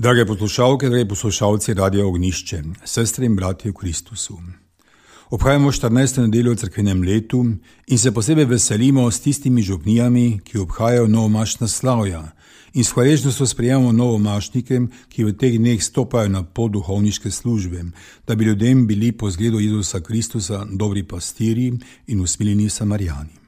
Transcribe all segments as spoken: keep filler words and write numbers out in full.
Drage poslušalke, dragi poslušalci Radia Ognjišče, sestre in bratje v Kristusu. Obhajamo štirinajsto nedeljo v cerkvenem letu in se posebej veselimo s tistimi župnijami, ki obhajajo novomašna slavja, in s hvaležnostjo sprejemamo novomašnike, ki v teh dneh stopajo na pot duhovniške službe, da bi ljudem bili po zgledu Jezusa Kristusa dobri pastirji in usmiljeni Samarijani.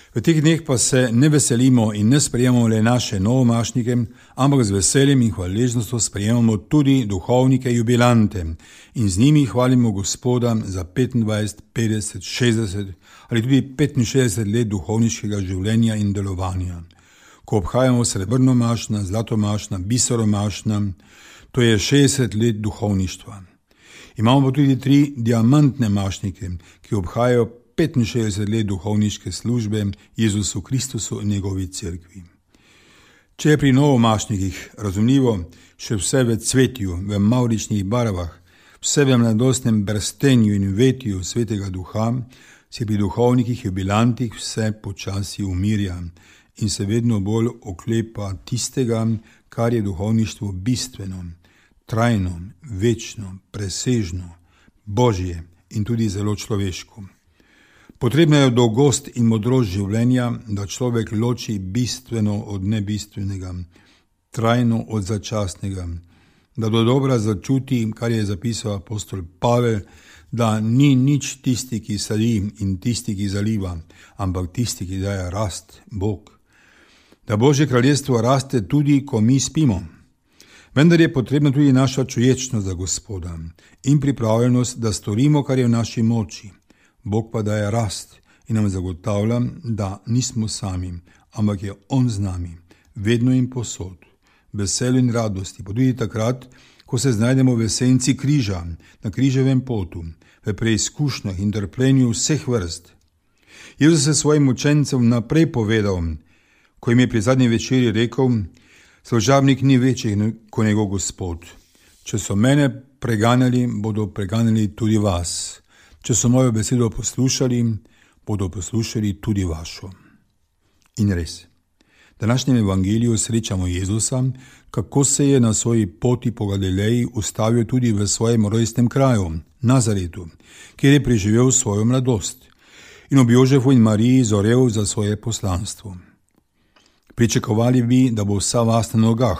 V teh dneh pa se ne veselimo in ne sprejemamo le naše novomašnike, ampak z veseljem in hvaležnostjo sprejemamo tudi duhovnike jubilante in z njimi hvalimo Gospoda za petindvajset, petdeset, šestdeset ali tudi petinšestdeset let duhovniškega življenja in delovanja. Ko obhajamo srebrnomašna, zlatomašna, biseromašna, to je šestdeset let duhovništva. Imamo pa tudi tri diamantne mašnike, ki obhajajo petinšestdeset let duhovniške službe Jezusu Kristusu in njegovi cerkvi. Če je pri novomašnikih razumljivo še vse v cvetju, v mavričnih barvah, vse v mladostnem brstenju in vetju svetega duha, se pri duhovnikih jubilantih vse počasi umirja in se vedno bolj oklepa tistega, kar je duhovništvo bistveno, trajno, večno, presežno, božje in tudi zelo človeško. Potrebna je dolgost in modrost življenja, da človek loči bistveno od nebistvenega, trajno od začasnega, da do dobra začuti, kar je zapisal apostol Pavel, da ni nič tisti, ki sadi in tisti, ki zaliva, ampak tisti, ki daje rast, Bog. Da Božje kraljestvo raste tudi, ko mi spimo. Vendar je potrebna tudi naša čuječnost za Gospoda in pripravljenost, da storimo, kar je v naši moči. Bog pa daje rast in nam zagotavlja, da nismo sami, ampak je On z nami, vedno in posod, veselju in radosti, pa tudi takrat, ko se znajdemo v senci križa, na križevem potu, v preizkušnjah in trpljenju vseh vrst. Jezus je svojim učencem naprej povedal, ko jim je pri zadnji večeri rekel: služabnik ni večji kot njegov Gospod. Če so mene preganjali, bodo preganjali tudi vas. Če so mojo besedo poslušali, bodo poslušali tudi vašo. In res, v današnjem evangeliju srečamo Jezusa, kako se je na svoji poti po Galileji ustavil tudi v svojem rojstnem kraju, Nazaretu, kjer je preživel svojo mladost in ob Jožefu in Mariji zorel za svoje poslanstvo. Pričakovali bi, da bo vsa vas na nogah,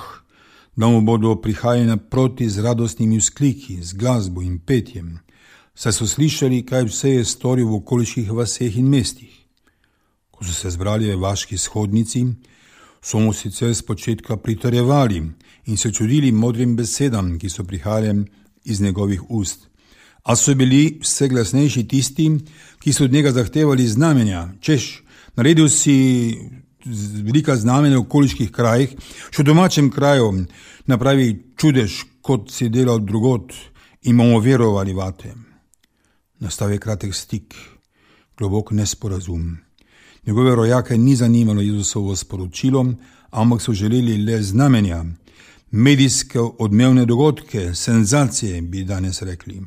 da mu bodo prihajali naproti z radostnimi vzkliki, z glasbo in petjem, saj so slišali, kaj vse je storil v okoliških vaseh in mestih. Ko so se zbrali v vaški shodnici, so mu sicer spočetka pritrjevali in se čudili modrim besedam, ki so prihajale iz njegovih ust. A so bili vse glasnejši tisti, ki so od njega zahtevali znamenja, češ, naredil si velika znamenja v okoliških krajih, še v domačem kraju napravi čudež, kot si delal drugod, in bomo verovali vate. Nastal je kratek stik, globok nesporazum. Njegove rojake ni zanimalo Jezusovo sporočilo, ampak so želeli le znamenja, medijske odmevne dogodke, senzacije, bi danes rekli.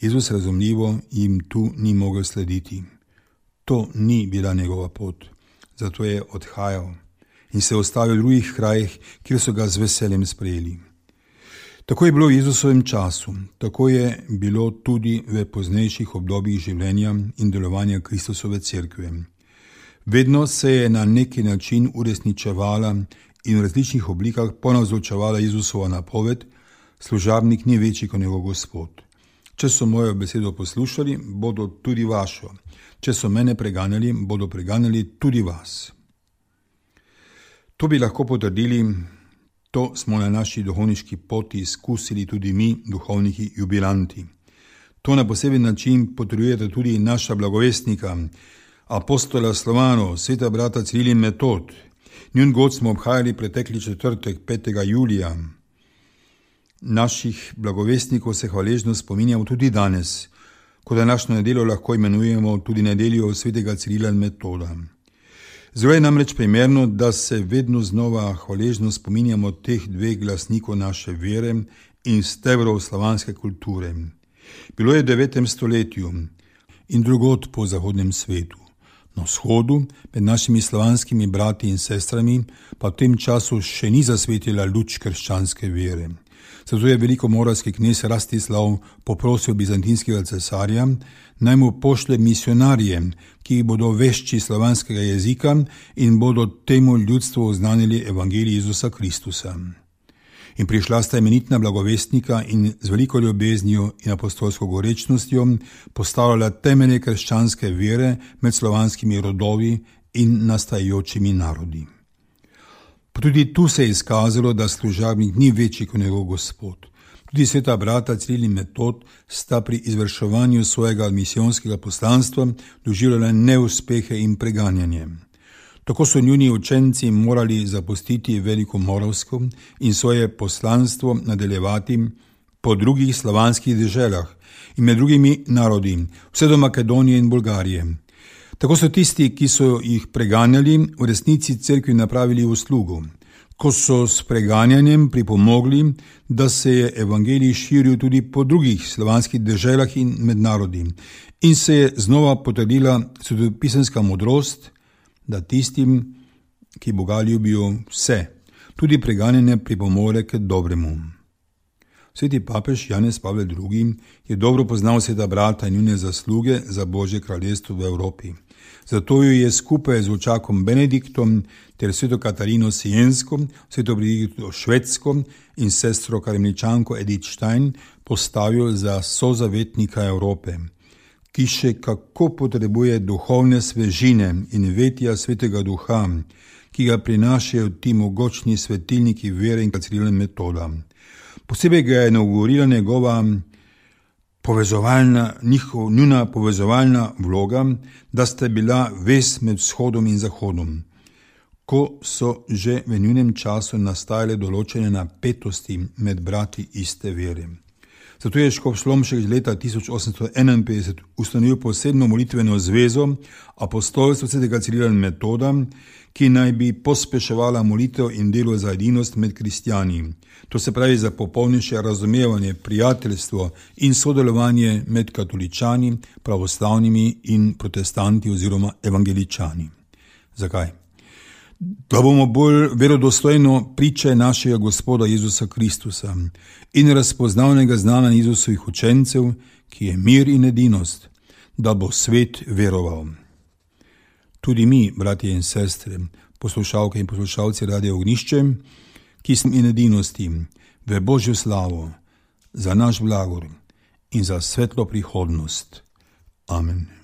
Jezus razumljivo jim tu ni mogel slediti. To ni bila njegova pot, zato je odhajal in se ostavil v drugih krajih, kjer so ga z veseljem sprejeli. Tako je bilo v Jezusovem času, tako je bilo tudi v poznejših obdobjih življenja in delovanja Kristusove cerkve. Vedno se je na neki način uresničevala in v različnih oblikah ponavzočevala Jezusova napoved: služabnik ni večji kot njegov Gospod. Če so mojo besedo poslušali, bodo tudi vašo. Če so mene preganjali, bodo preganjali tudi vas. To bi lahko potrdili. To smo na naši duhovniški poti izkusili tudi mi, duhovniki jubilanti. To na poseben način potrjujete tudi naša blagovestnika, apostola Slovanov, sveta brata Ciril in Metod. Njun god smo obhajali pretekli četrtek, petega julija. Naših blagovestnikov se hvaležno spominjamo tudi danes, ko današnjo nedeljo lahko imenujemo tudi nedeljo svetega Cirila in Metoda. Zelo je namreč primerno, da se vedno znova hvaležno spominjamo teh dveh glasnikov naše vere in stebrov slovanske kulture. Bilo je v devetem stoletju in drugod po zahodnem svetu. Na vzhodu, med našimi slovanskimi brati in sestrami, pa v tem času še ni zasvetila luč krščanske vere. Zato je velikomoravski knez Rastislav poprosil bizantinskega cesarja, naj mu pošlje misionarje, ki bodo vešči slovanskega jezika in bodo temu ljudstvu oznanili evangelij Jezusa Kristusa. In prišla sta imenitna blagovestnika in z veliko ljubeznijo in apostolsko gorečnostjo postavljala temelje krščanske vere med slovanskimi rodovi in nastajajočimi narodi. Pa tudi tu se je izkazalo, da služabnik ni večji kot njegov Gospod. Tudi sveta brata Ciril in Metod sta pri izvrševanju svojega misijonskega poslanstva doživljala neuspehe in preganjanje. Tako so njuni učenci morali zapustiti Velikomoravsko in svoje poslanstvo nadaljevati po drugih slovanskih deželah in med drugimi narodi, vse do Makedonije in Bolgarije. Tako so tisti, ki so jih preganjali, v resnici cerkvi napravili uslugo, ko so s preganjanjem pripomogli, da se je evangelij širil tudi po drugih slovanskih deželah in med narodi in se je znova potrdila svetopisemska modrost, da tistim, ki Boga ljubijo, vse, tudi preganjanje pripomore k dobremu. Sveti papež Janez Pavel drugi. je dobro poznal sveta brata in njune zasluge za Božje kraljestvo v Evropi. Zato jo je skupaj z učakom Benediktom ter sveto Katarino Siensko, sveto Brigido Švedsko in sestro Karmeličanko Edith Stein postavil za sozavetnika Evrope, ki še kako potrebuje duhovne svežine in vetja svetega duha, ki ga prinašajo ti mogočni svetilniki vere in Cirila in Metoda. Posebej ga je inaugurirala njegova povezovalna, njihov, njuna povezovalna vloga, da sta bila vez med vzhodom in zahodom, ko so že v njunem času nastajale določene napetosti med brati iste vere. Zato je škof Slomšek leta tisoč osemsto enainpetdeset ustanovil posebno molitveno zvezo apostolstva svetega Cirila in Metoda, ki naj bi pospeševala molitev in delo za edinost med kristjani. To se pravi za popolnejše razumevanje, prijateljstvo in sodelovanje med katoličani, pravoslavnimi in protestanti oziroma evangeličani. Zakaj? Da bomo bolj verodostojno priče našega Gospoda Jezusa Kristusa in razpoznavnega znanja Jezusovih učencev, ki je mir in edinost, da bo svet veroval. Tudi mi, bratje in sestre, poslušalke in poslušalci Radia Ognjišče, ki smo in edinosti v Božjo slavo, za naš blagor in za svetlo prihodnost. Amen.